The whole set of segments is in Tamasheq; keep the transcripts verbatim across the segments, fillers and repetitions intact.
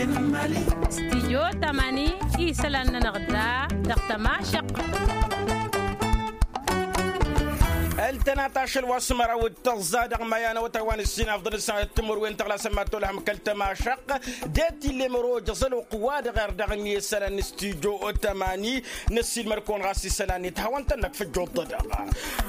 Stijyo tamani isălan-nănăɣ da dăɣ-tămašăq. Ăltănat ašăl wa s-măraw d-tăẓẓa dăɣ-maya n-awătay wa n-ǝssin afḍăn ǝssanăt timǝrwen tăɣlasăn ma t-olhăm kăl-tămašăq. De-t ill'-e mărojăẓ ălwăqq wa dăɣ-err dăɣ-ǝnni isălan n-stijyo tamani. Năssiilmăr-kăwăn ɣas isălan-net hawăn-tăn-năkk făjjoḍ-dăɣ.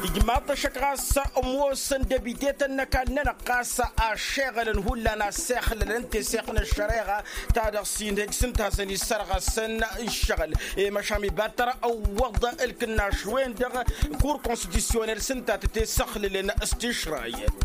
Ijmaḍ-t ăššăk ɣas ămoosăn debitetăn n-ăkall-nănăɣ ɣas aššeɣălăn hullan assexlălăn teseɣt n-ăššăreɣa ta dăɣ-s inhăj s-ǝnta a hasăn-issărɣăsăn ǝššăɣǝl. I-măšan ibattăr ăwwăḍ ǝlkǝnnaš-wen-dăɣ kur konstitusyonel s-ǝnta a tăt-esăxlǝlăn s-tišrayăt.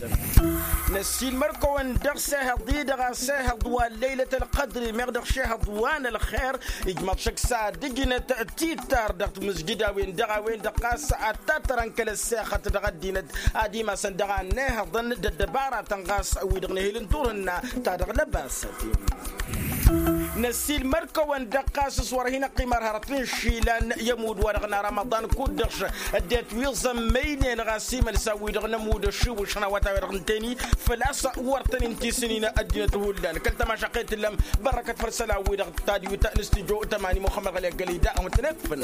Năssiilmăr-kăwăn dăɣ-sehăḍ-i-dăɣ asehăḍ wa n-leylăt ălqădri meɣ dăɣ-šehăḍ wa n-ălxer. Ijmăḍ šăkk s-ad-ǝjnăt titar dăɣ-timǝzjǝd a-wen-dăɣ a-wen-dăɣ ɣas ad-tattărăn kăl-ăssexăt dăɣ-ăddinăt ad-imasăn dăɣ-a n-ehăḍăn d-ăddăbaratăn ɣas wi-dăɣ n-ehel n-turhǝnna ta dăɣ-lăbasăt. Năssiilmăr-kăwăn dăɣ-ɣas s-wăr hin-ăqqimăr hărăt n-išilan i-ămudd wa dăɣ-năramăḍan kud-dăɣ š-ăddinăt wi ẓămmăynen ɣas imălsan wi-dăɣ n-ămudd ăššiwǝšăn awătay wa dăɣ-nǝteni făl-a-s wăr tăn-in-tisǝnin ăddinăt hullan kăl-tămašăqqet tǝllăm. Bărrăkăt făll-isălan-wi-dăɣ tadwit n-studyo tămani muxămmăd ɣăli ăggălăy da a hawăn-tăn-ekfăn.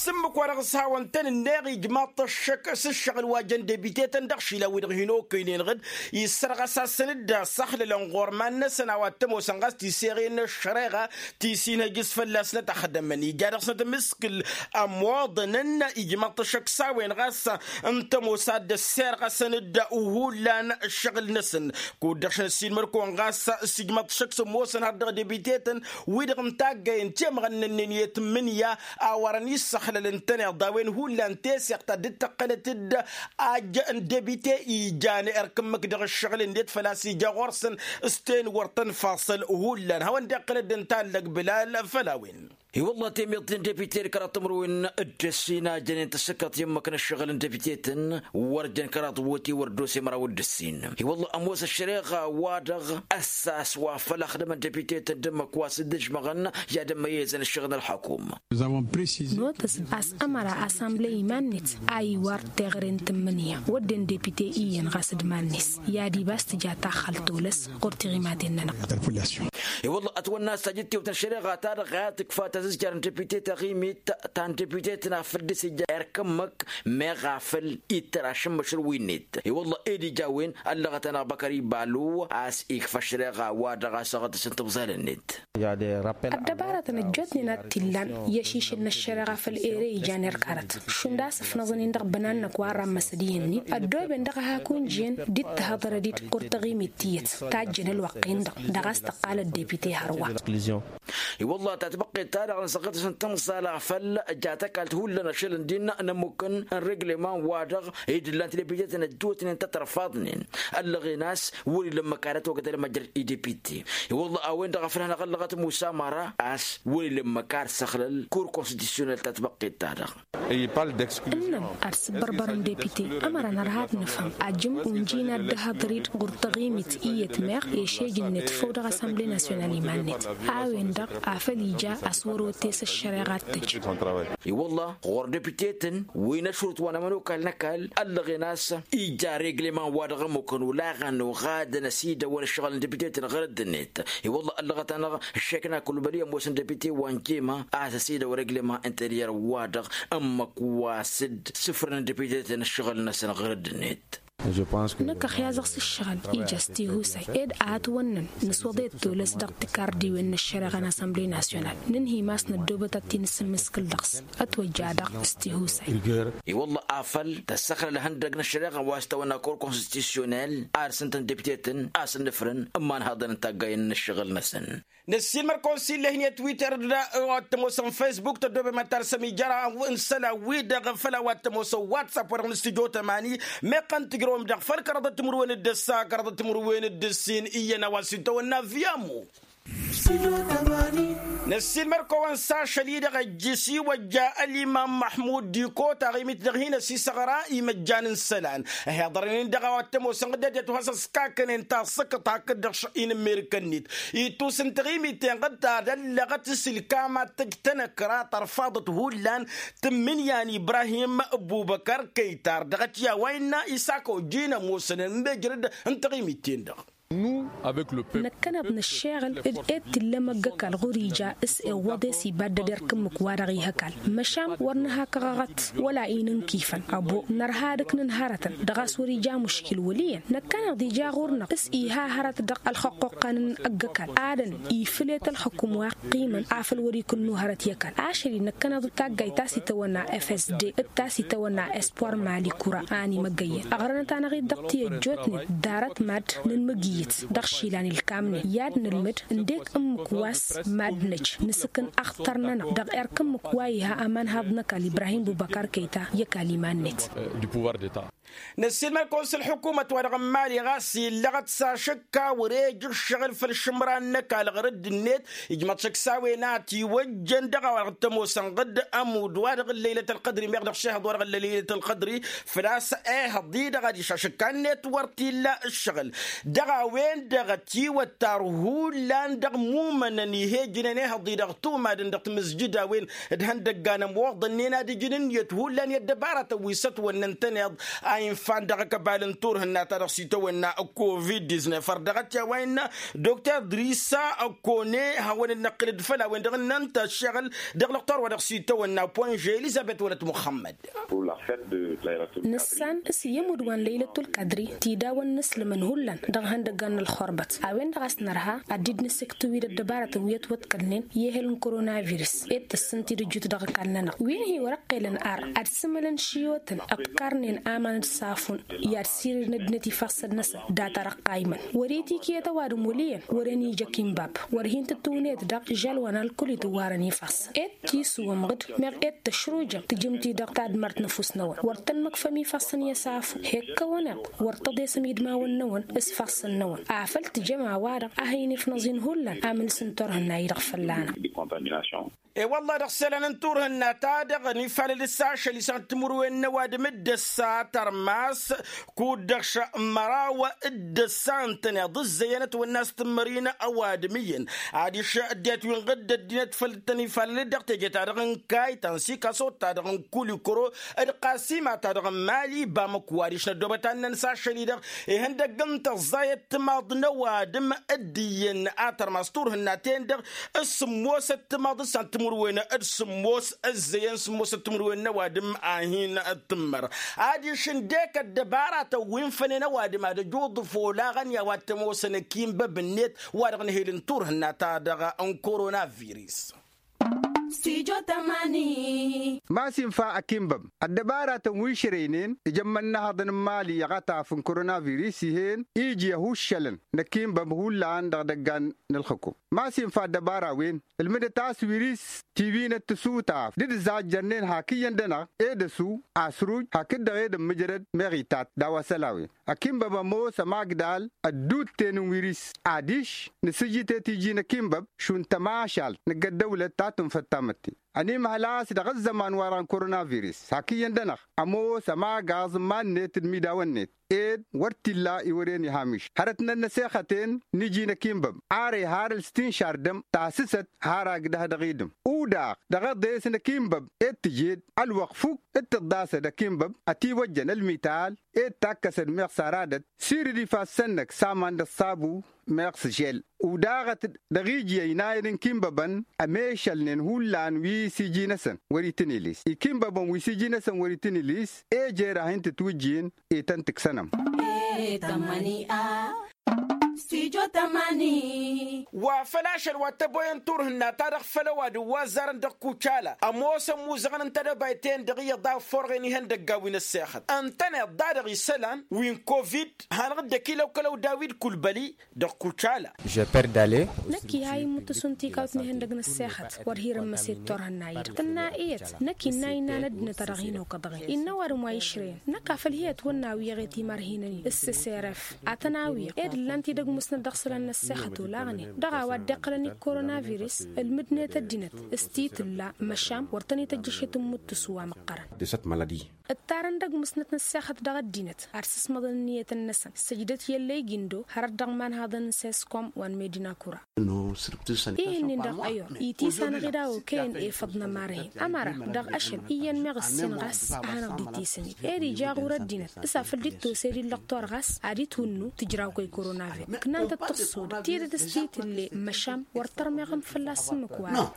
S-ǝmmǝk wa dăɣ-s hawăn-tăn-ǝnneɣ ijmaḍ-t ăššăk s-ǝššăɣǝl wa jăn debitetăn dăɣ-išilan-wi-dăɣ hin-okăynen ɣǝd. Issărɣăs-asăn-dd asăxlălăn ɣur-iman-năsăn a-wa t-ămoosăn ɣas tiseɣen n-ăššăreɣa ti s-inhăj s-fălla-snăt ăxdămăn ija dăɣ-snăt amǝskǝl. Ămoḍănăn ijmaḍ-t ăššăk s-a-wen ɣas n-tămoos ad-dd-ăssirɣăsăn-dd hullan ǝššăɣǝl-năsăn. Kud-dăɣ šăn ăssiilmăr-kăwăn ɣas s-ijmaḍ-t ăššăk s-ămoosăn har dăɣ-debitetăn wi-dăɣ n-taggayen temɣănnănnen i-tǝmmǝnǝya a wărăn issăxlăl ǝntăneḍ a-wen hullan teseɣt ta dd-tăqqălăt-dd ajjăn debite ijan erk ǝmmǝk dăɣ-ǝššăɣǝl-net făl-a-s ija ɣur-săn. S-ten wăr tăn-faṣăl hullan hawăn-dd-iqqǝlăd ǝnta allăg bǝlal făll-a-wen. I-wălla temiḍt n-debite d-kăraḍ timǝrwen d-ǝssin a jănen tăssǝkkăḍt i-ǝmmǝk n-ǝššăɣǝl n-debitetăn wăr jăn kăraḍ wăti wăr dd-ose măraw d-ǝssin. I-wălla ămoos ăššăreɣa-wa-dăɣ ăssas wa făll-axdăm n-debitetăn d-ǝmmǝk wa s-dd-ǝžmăɣăn i-ad-ămmăyyăzăn ǝššăɣǝl n-ălxăkum. Notăs a-s ămăra asamble iman-net a iwar teɣăre n-tǝmmǝnǝya wădden depite iyyăn ɣas d-iman-net i-ad-ibas tǝja taxxalt tolăs ɣur-tiɣimaten-nănăɣ. I-wălla ătwănna a-s tajǝttewt n-ăššăreɣa-ta-dăɣ i-ad-tǝkfa tazǝzjar n-depite taɣimit ta n-depite-tăn afăl dd-sǝjja erk ǝmmǝk meɣ afăl ittăr ašǝmmǝšǝl wi-net. I-wălla ed ija a-wen ăllăɣăt-anăɣ băkăr ibalo a-s ikfa ăššăreɣa-wa-dăɣ a-s ăɣ dd-sǝntǝbẓal-net. Ăddăbarătăn ăjjootnen a t-illan i-ašišǝl n-ăššăreɣa făll-ere ijan erk hărăt šund a-s ǝfnăẓăn-in dăɣ-bănan-năk wa ărrammăsăd iyyăn-ni ăddooben dăɣ-ehak unjǝyăn d-ittăhăḍărăd-dd ɣur-taɣimit tiyyăt tajjăn ălwăqq-in-dăɣ dăɣ-a-s tăqqal ăddepite hărwa. I-wălla tatbăqqet-ta-dăɣ n-săɣ dd-săn tǝmẓal afăl ja tăkalt hullan ašăl ǝndin n-ămmukăn n-regleman-wa-dăɣ ed ǝllan-t depitetăn ăjjootnen tăt-ărfaḍnen. Ăllăɣen a-s wăr-ila ǝmmǝk ad-ătwăgdăl măjrăd i-depite. I-wălla a-wen-dăɣ a făl hanăɣ-ăllăɣăt musa măra a-s wăr-ila ǝmmǝk ad-săxlăl kur konstitusyonel tatbăqqet-ta-dăɣ. Ǝnnăn ad-sǝbbărbărăn depite ămăra nărha ad-nǝfhǝm ajǝm unjǝy n-ad-dd-ăhhăḍăr-dd ɣur-taɣimit iyyăt meɣ i-ašejǝnnet făw dăɣ-asamble nasyonal iman-net. A-wen-dăɣ afăl ija a-s wăr-otes ăššăreɣa ad-tăj. I-wălla ɣur-depitetăn wi n-ašrut wa n-ămănokal n-ăkall ăllăɣen a-s ija regleman-wa-dăɣ ămmukăn olaɣăn oɣadăn ăsidăwăl ǝššăɣǝl n-depitetăn ɣur-dd-net. I-wălla ăllăɣăt-anăɣ ăššek n-akǝlubăli ămoosăn depite wa n-jema a-s ăsidăwăl regleman interyer-wa-dăɣ ǝmmǝk wa s-dd-sǝfrǝnăn depitetăn ǝššăɣǝl-năsăn ɣur-dd-net. Năkk ăxyazăɣ s-ǝššăɣǝl ija s-tihusay ed a ătwănnăn nǝswăḍăy d-tolăs dăɣ-tikardiwen n-ăššăreɣa n-asamble nasyonal nǝnhǝy ma s-năddoobăt ad-t-in-sǝmmǝskǝl dăɣ-s. Ătwăjja dăɣ-s tihusay. I-wălla afăl tăssăxlăl ihăndăg n-ăššăreɣa wa s-tawănna kur konstitusyonel ad-sǝntăn depitetăn a-s ǝnnǝfrǝn n-imanhaḍăn n-taggayen n-ǝššăɣǝl-năsăn. Năssiilmăr-kăwăn s-illeh-net twitter d-wa t-ămoosăn facebook tăddoobem ad-tarsăm ijăraw n-isălan-wi-dăɣ făll-a-wa t-ămoosăn whatsapp-wa-dăɣ n-studyo tămani. Meqqăn tǝjrăwăm daɣ făll-kăraḍăt timǝrwen d-ǝssa kăraḍăt timǝrwen d-ǝssin iyyăn a-wa s-itawănna via mo. Năssiilmăr-kăwăn s-ašăl-i-dăɣ ăjjǝs iwăjja ălimam măḥmud diko taɣimit-dăɣ hin-ăsisăɣra imăjjan n-isălan. Ăhiḍărăn-in dăɣ-a-wa t-ămoosăn ɣǝdded i-ad-t-has-ăskakănen tasǝkǝḍt hakd-dăɣ šăɣ-i n-ămmerǝkăn-net itus n-taɣimit-en-dăɣ ta d-ăllăɣăt s-ǝlkam ad-tăj tanăkra tărfaḍăt hullan. Tǝmmǝnǝya n-ibrahim bubăkăr kăytar dăɣ-t i-a-wa innă isako jin ămoosăn n-mejrăd n-taɣimit-en-dăɣ. Năkkăneḍ nǝššeɣǝl d-e-d t-illa ămăgg ăkall ɣur-ija s-iwwăḍ e-s ibaddăd erk ǝmmǝk-wa-dăɣ ih' ăkall. Măšan wăr nǝha kăɣăɣăt wăla inǝnkifăn ăbo nărha ad-ǝknǝn hărătăn dăɣ-a-s wăr-ija muškil wăl' iyyăn. Năkkăneḍ ija ɣur-năɣ s-iha hărăt dăɣ-ălxăqqoqqan n-ăgg-ăkall adăn ifǝl i-tălxǝkum wa ăqqiimăn afăl wăr-ikǝnnu hărăt i-ăkall ašăl-i năkkăneḍ d-taggayt ta s-itawănna fsd d-ta s-itawănna espoir mali kura a ănimăggăyyăn ăɣrănăt-anăɣ-dd dăɣ-ti ăjjootnen. Ḍarăt mad nǝnmǝgǝyyǝt dăɣ-išilan ilkamnen i-ad-nǝlmǝd ǝndek ǝmmǝk wa s-mad-năj nǝsǝkǝn axtar-nănăɣ dăɣ-erk ǝmmǝk wa iha ămanhaḍ n-ăkall ibrahim bubăkar kăyta i-ăkall iman-net. Năssiilmăd-kăwăn s-ălḥukumăt-wa-dăɣ n-imali ɣas illăɣăt s-ašăkka wăr-e ija ǝššăɣǝl făll-išǝmran n-ăkall ɣur-dd-net ijmăḍ šăkk s-a-wen a ătiwăjjăn dăɣ-a-wa dăɣ-t-ămoosăn ɣǝdd ămudd-wa-dăɣ n-lăylăt ălqădri meɣ dăɣ-šehăḍ-wa-dăɣ n-lăylăt ălqădri. Făl-a-s ehăḍ-i-dăɣ adiš ašăkka-net wăr t-illa ǝššăɣǝl dăɣ-a-wen-dăɣ ătiwăttar hullan dăɣ-imumănăn ih' ejǝnen ehăḍ-i-dăɣ tumadăn dăɣ-timǝzjǝd a-wen d-ihăndăggan ămoḍănnen ad-ǝjǝn ǝnniyăt hullan i-ăddăbaratăn wi s-ătwănna ǝntăneḍ a infan dăɣ-ăkbal n-turhǝnna ta dăɣ-s itawănna covid-diznef ărdăɣăt i-a-wa innă dokter drisa ăkkone hawăn-dd-năqqǝlăd făll-a-wen-dăɣ ǝnnăn-t ăššăɣǝl dăɣ-lăqtor wa dăɣ-s itawănna pwănže elizăbet wălăt muxămmăd. Nǝssan s-iyyăm udwan lăylăt ulkadri tidawăn n-asǝlmăn hullan dăɣ-ihăndăggan n-ălxurbăt a-wen-dăɣ a-s nărha ad-dd-nǝsǝktu wi d-ăddăbarătăn wi ătwăḍkălnen i-ehel n-korona virus ed tăssǝnt-dd ǝjut dăɣ-ăkall-nănăɣ wi n-hi-wăr-ăqqelăn ar ad-sǝmǝlăn šiwătăn ǝqqarnen aman d-safun i-ad-sirǝdăn ăddinăt ifassăn-năsăn data-dăɣ ăqqaymăn wăr-itikǝyăt ăwadǝm wăl' iyyăn wăren ija ăkinbab wăr hin-tǝttǝwnet daɣ žălwăn ălkul itǝwwarăn ifassăn ed tisǝwăm ɣǝd meɣ ed tăšrujăm tǝjǝm-t-i dăɣ-tadmărt n-ăfuss-năwăn wăr tăn-măkfăm ifassăn i-ăsafu hekkăwăn-eḍ wăr tăḍesăm idmawăn-năwăn s-ifassăn-năwăn afăl tǝjăm a-wa-dăɣ a hăynǝfnăẓin hullan amǝlǝs n-turhǝnna-i-dăɣ fălla-năɣ. E-wălla-hi dăɣ-isălan n-turhǝnna-ta-dăɣ ănifalăl s-ašăl isăɣ n-timǝrwen n-ăwadǝm d-ăssa tărmas kud-dăɣ šămmăraw d-ăssa ǝntăneḍ ǝzzăyăn ătwănna s-tǝmmărin ăwadǝm iyyăn adiš ăddinăt wi n-ɣǝdd ăddinăt făll-tăn-ifalăl dăɣ-teje-ta-dăɣ n-kaytan s-ikasot-ta-dăɣ n-kulikoro d-qasima-ta-dăɣ n-mali bamăko adiš năddoobăt ad-năn s-ašăl-i-dăɣ ihăndăgg n-tăẓẓayăt timaḍ n-ăwadǝm d-iyyăn a tărmas turhǝnna-ten-dăɣ s-sǝmmosăt timaḍ s-ad-timǝrwen d-sǝmmos ǝzzăyăn sǝmmosăt timǝrwen n-ăwadǝm a hin-tǝmmăr adiš ǝndek ăddăbaratăn wi n-fănen ăwadǝm ad-ăj uḍǝf olaɣăn i-a-wa t-ămoosăn ăkinbăb-net wa dăɣ-nǝhel n-turhǝnna-ta-dăɣ n-korona virus. Stujo tămani. Ma s-infa ăkinbăb ăddăbaratăn wi šărăynen ija ămmănnăhăḍăn n-imali i-aɣătaf n-korona virus ih'-en iji ăhuššălăn n-ăkinbăb hullan dăɣ-idăggan n-ǝlxǝkum ma s-infa ăddăbara-wen ǝlmǝdăt a-s wiris tiwinăt tǝsutaf d-dd-zajjărnen hak iyyăn-dănăɣ ed ăsu asruj hakd-dăɣ ed ǝmmǝjrăd meɣ itat d-a-wa isălan a-wen ăkinbăb ămoos ămagdal ădduutten n-wiris adiš nǝsǝjjǝt i-tiji n-ăkinbăb šund tămašalt năgg ăddăwlăt ta tǝnfăt tamătte ănimhăl a-s dăɣ-ăzzăman-wa-dăɣ n-korona virus hak iyyăn-dănăɣ ămoos ămagaẓ n-iman-net d-imidawăn-net ed wăr t-illa iwăren ihamiš hărăt n-ănnăsexăten n-iji n-ăkinbăb ar ihar ǝlstinšar dăm tasǝsăt har agdăh dăɣ-idǝm udaɣ dăɣ-eḍes n-ăkinbăb ed tǝjed ălwăqq fuk d-tǝḍḍasăd ăkinbăb ătiwăjjăn ălmital ed takkăsăd meɣ s-aradăt sirǝd ifassăn-năk s-aman d-ăṣṣabu meɣ s-žel udaɣăt dăɣ-iji ăynayăn n-ikinbăbăn ămešălnen hullan wi s-iji-năsăn wăr-itǝnilis ikinbăbăn wi s-iji-năsăn wăr-itǝnilis ejer a hin-tǝtwǝjjin ităn-tǝksănăm. Wa făl ašăl wa t-ăboyăn turhǝnna-ta-dăɣ făll-ăwadǝm wa ăzzarăn dăɣ-kucala ămoosăn imuzăɣăn n-tedăbayt-en-dăɣ iyyăḍ a ăfforɣen ihăndăgga wi n-ăssexăt ǝntăneḍ-da-dăɣ isălan wi n-covid hanăɣ-dd-ăkilăwkălăw dawid kulbăli dăɣ-kucala. Năkk iha immǝttǝsu n-tikawt n-ihăndăg n-ăssexăt wăr hirămmăset turhǝnna-i-dăɣ tǝnna iyyăt năkk innă innă n-ăddinăt a dăɣ-hin-okăḍăɣen innă ăwadǝm wa išrăyăn năkk afăl hi-ătwănna a wi eɣet imarhinăn-in s-s r f ad-tăn-awǝyăɣ ed ǝllan-t-dd ăgg musnăt dăɣ-isălan n-ăssexăt olaɣnen dăɣ-a-wa dd-iqqălăn i-korona virus ǝlmǝdnet ăddinăt s-ti tǝlla măšan wăr tăn-ităjj ašăt n-imǝttǝsu wa măqqărăn. De cette maladie. Ǝttarăn dăgg-musnăt n-ăssexăt dăɣ-ăddinăt ad-sǝsmăḍăn ǝnniyătăn-năsăn sǝjdăt i-ăllăyg-indo hărăt dăɣ-imanhaḍăn n-seskom wa n-medina kura. Ih'-ǝnnin-dăɣ ăyor itis'-anăɣ-dd a okăyăn efăḍ n-ămar-hin ămăra dăɣ-ašăl iyyăn meɣ ǝssin ɣas a hanăɣ-dd-itisǝnit ed ija ɣur-ăddinăt s-afăl dd-tosed illăɣ tor ɣas ad-dd-hunnu tǝjraw kăy-koronavirus ǝknan-tăt tǝṣṣud tidǝt s-ti tǝlle măšan wăr tărmeɣăm fălla-s ǝmmǝk-wa-dăɣ.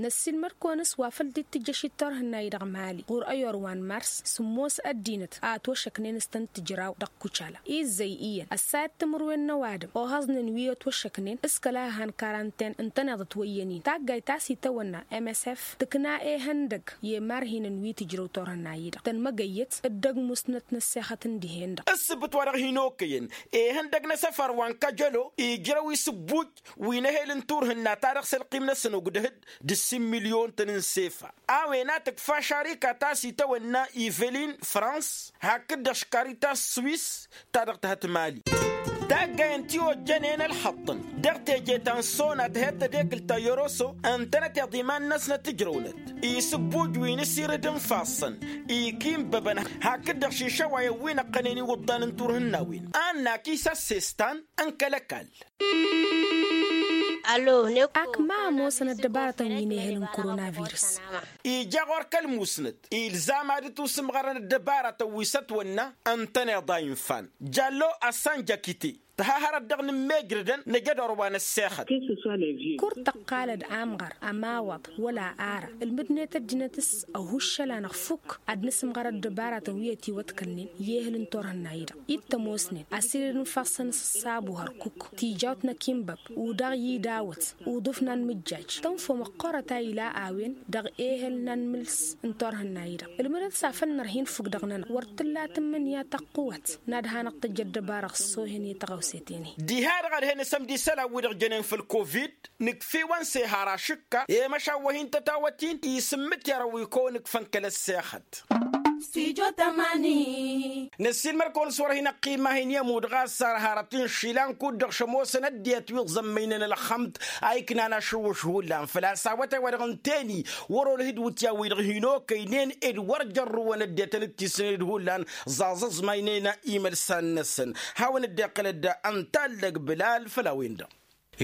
Năssiilmăd-kăwăn s-wa făl dd-tǝjjăšit turhǝnna-i-dăɣ mali ɣur-ăyor wa n-mars sǝmmos ăddinăt a ătwăššăknen s-tăn-tǝjraw dăɣ-kucala izzăy iyyăn ăssayăt timǝrwen n-ăwadǝm ohăẓnen wi ătwăššăknen s-kăla han karanten ǝntăneḍ ătwăyyăn-in taggayt ta s-itawănna msf tǝkna ehăndăg i-imarhinăn wi tǝjrăw turhǝnna-i-dăɣ tănmăgăyyăt dd-ăgg musnăt n-ăssexăt n-dihen-dăɣ. Ǝssǝbǝt-wa-dăɣ hin-okăyăn ehăndăg n-asăfar wa n-kăjălo ijrăw isǝbbuj wi n-ehel n-turhǝnna-ta-dăɣ s-ălqim-năsăn ogdăh-dd d-ǝssin milyon-tăn n-sefa. A-wen a tǝkfa šarika ta s-itawănna ivelin frans hakd-dăɣ škaritas swis ta dăɣ-tăhăt mali. Taggayăn ti ojjănen ălxăṭṭăn dăɣ-teje ta n-sona tăhăt tădekǝlt ta yoroso ǝntănăteḍ iman-năsnăt ǝjrăwnăt isǝbbuj wi n-asirǝd n-ifassăn ikinbăbăn hakd-dăɣ šišăwayăn wi n-ăqqănen iwǝḍḍan n-turhǝnnawen. Annak isăssestan n-kăl-ăkall. Ak ma ămoosăn ăddăbarătăn wi n-ehăl n-koronavirus. Ija ɣur-kăl-musnăt ilzam ad-dd-tusǝmɣărăn ăddăbarătăn wi s-ătwănna ǝntăneḍ a infan jallo ăssanjakite tǝha hărăt dăɣ-inǝmmejrădăn năjădor wa n-ăssexăt. Kur tăqqalăd amɣăr ămawăḍ wăla ara ǝlmǝdnet ăddinăt s-ăhuššăl-anăɣ fukk ad-nǝsǝmɣăr ăddăbarătăn wi ătiwăḍkălnen i-ehăl n-turhǝnna-i-dăɣ ittămosnen asirǝd n-ifassăn s-ăṣṣabu hărkuk tijawt n-akinbăb udaɣ i-dawăt uḍǝf n-anmǝjjaj tănfom ăqqorăt a ila a-wen dăɣ-ehăl n-anmǝls n-turhǝnna-i-dăɣ ǝlmǝdăt s-afăl nărha infǝk dăɣ-nănăɣ wăr t-tǝlla tǝmmǝnǝya tăqqǝwăt n-ad-hanăɣ-tăjj ăddăbarăɣ s-sohen i-tăɣawset-en-hi. Diha-dăɣ ad-hen asămdi isălan-wi-dăɣ jănen făll-covid nǝkf'-iwăn s-ehar ašǝkka i-măšan wa hin-tătawăt-in isǝmmǝt i-arăw wi kăwăn-ǝkfăn kăl-ăssexăt. Năssiilmăd-kăwăn s-wăr hin-ăqqima hin-i-ămudd ɣas ar hărăt inšilan kud-dăɣ šămoosăn ăddinăt wi ǝẓămmăynen ălxămd a iknan ašǝwwǝš hullan făl-a-s awătay wa dăɣ-ǝnta-eni wăr-olăh d-iwǝtyan-wi-dăɣ hin-okăynen ed wăr jărrǝwăn ăddinăt ănǝttisnen d-hullan ẓaẓăẓmaynen imălsan-năsăn. Hawăn-dd-iqqǝlăd ǝnta allăg bǝlal făll-a-wen-dăɣ.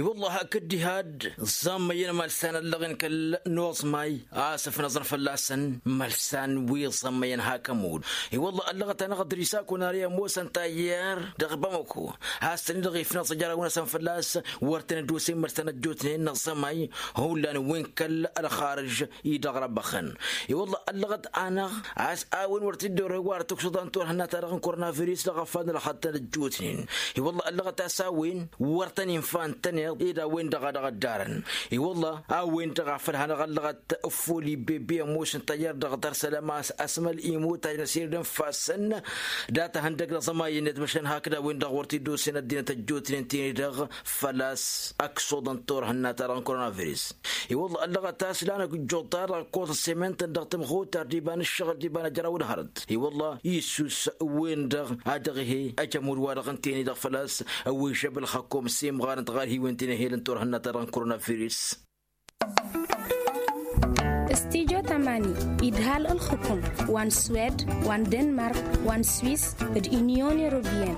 I-wălla hakd diha-dd ẓammăyăn imălsan ăllăɣen kăl-noẓmay a-s ǝfnăẓăn fălla-săn imălsan wi ẓammăyăn hak ămudd. I-wălla ăllăɣăt-anăɣ ădris akun ar i-ămoosăn tayyăr dăɣ-bamăko a-s tăn-in-dăɣ ifnăẓ ăjraw-năsăn fălla-s wăr tăn-dd-osen imălsan ăjjootnen n-aẓămay hullan wi n-kăl-ălxarǝž-i dăɣ-răbbăxăn. I-wălla ăllăɣăt-anăɣ a-s a-wen wăr t-dd-orăy wa dăɣ-tǝksuḍa n-turhǝnna-ta-dăɣ n-koronavirus dăɣ-afăl n-ălxăṭṭăn ăjjootnen. I-wălla ăllăɣăt a-s a-wen wăr tăn-infa ǝntăneḍ ed a-wen-dăɣ a dăɣ-ăddarăn. I-wălla a-wen-dăɣ a făl hanăɣ-ăllăɣăt ăffol ibbebbi ămoos n-tayyăr dăɣ-tăr sălăm a-s ăsmăl imutaj n-asirǝd n-ifassăn dat-ihăndăg n-aẓămay-net măšan hakd a-wen-dăɣ wăr t-dd-osen ăddinăt ăjjootnen ti-ni-dăɣ făl-a-s ăksuḍăn turhǝnna-ta-dăɣ n-koronavirus. I-wălla ăllăɣăt a-s lanăk ǝjjuḍ-ta-dăɣ ăkkoẓ ăssemăyăn-tăn dăɣ-tǝmxutar d-iba n-ǝššăɣǝl d-iba n-ajraw n-hărăt. I-wălla issus wen-dăɣ a dăɣ-ehe ajămud-wa-dăɣ ǝnta-en-i-dăɣ făl-a-s ăwwejăb ălxăkkom s-imɣarăn tăɣarhiwen ti n-ehel n-turhǝnna-ta-dăɣ n-koronavirus. Studyo tamani idhal ǝlxǝkǝm wa n-swed wa n-denmark wa n-swis d-inyon europeyăn.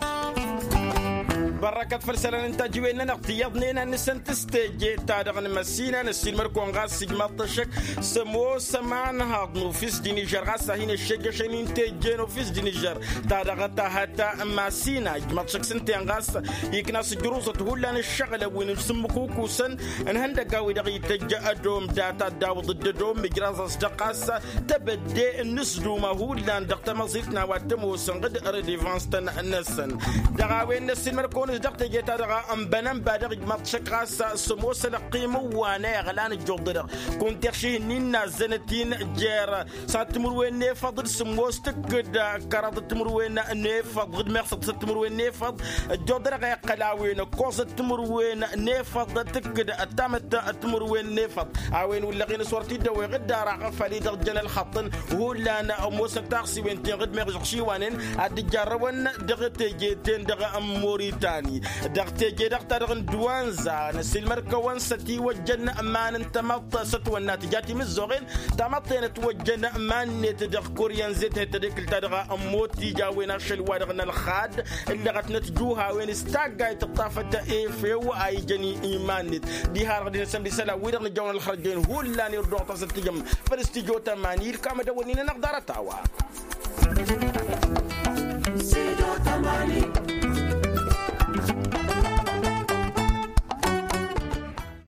Bărrăkăt făll-isălan n-tajǝwen-nănăɣ tiyyăḍnen ad-nǝsǝnt s-teje-ta-dăɣ n-imăssinăn ăssiilmăd-kăwăn ɣas ijmaḍ-t ăššăk s-ămoos ămanhaḍ n-ofis d-inižăr ɣas a hin-ăššejjăšăn-in teje n-ofis d-inižăr ta dăɣ-tahăt n-masina ijmaḍ-t ăššăk s-ǝnta-en ɣas ikna s-ǝjruẓăt hullan ǝššăɣǝlăn wi n-sǝmmǝkukusăn n-ihăndăgg a-wi-dăɣ itǝjj ădom data dd-awǝḍ dd-ădom ijraẓ-as-dăɣ ɣas tebădde n-inǝsduma hullan dăɣ-tamăẓilt n-a-wa t-ămoosăn ɣǝd redevans-tăn-năsăn. Dăɣ-a-wen n-ăssiilmăd-kăwăn-s dăɣ-teje-ta-dăɣ ănbănănba dăɣ-ijmaḍ-t ăššăk ɣas s-ămoos ălăqqim ǝwwa n-eɣlan ǝjjuḍ-dăɣ kunta iɣših-nin n-azzănăt-in jer-săr timǝrwen n-efăḍ d-sǝmmos tǝkkǝd kăraḍăt timǝrwen n-efăḍ d-meɣsăḍ săr timǝrwen n-efăḍ. Ăjjoḍăr a iqqăl a-wen ăkkoẓăt timǝrwen n-efăḍ tǝkkǝd ăttamăt timǝrwen n-efăḍ. A-wen wǝllăɣ-in s-wăr t-dd-ăweɣ dd-araɣ făll-i-dăɣ jăn ălxăṭṭăn hullan ămoosăn taɣsiwen-ten-dăɣ d-meɣ žăɣšiwanen ad-dd-jarrăwăn dăɣ-teje-ten-dăɣ n-moritan. Dăɣ-teje-dăɣ ta-dăɣ n-duwanza năsilmăr-kăwăn s-ătiwăjjăn iman n-tamăḍt s-ătwănna tǝja timǝzzoɣen. Tamăḍt-en ătwăjjăn iman-net dăɣ-kuryan zet n-hetădekǝl ta dăɣ-ămmot tija a-wen ašăl wa-dăɣ n-ălxad ǝllăɣătnăt juhawen s-taggayt ǝṭṭafăt efew a ijăn iman-net. Diha-dăɣ d-inăsăn d-isălan wi-dăɣ nǝjjăwăn ălxărjăyăn hullan irduɣ-t a-s ăttijăm făl s-tijot ămani ilkam ad-ăwănnin-anăɣ ḍarăt-a-wa.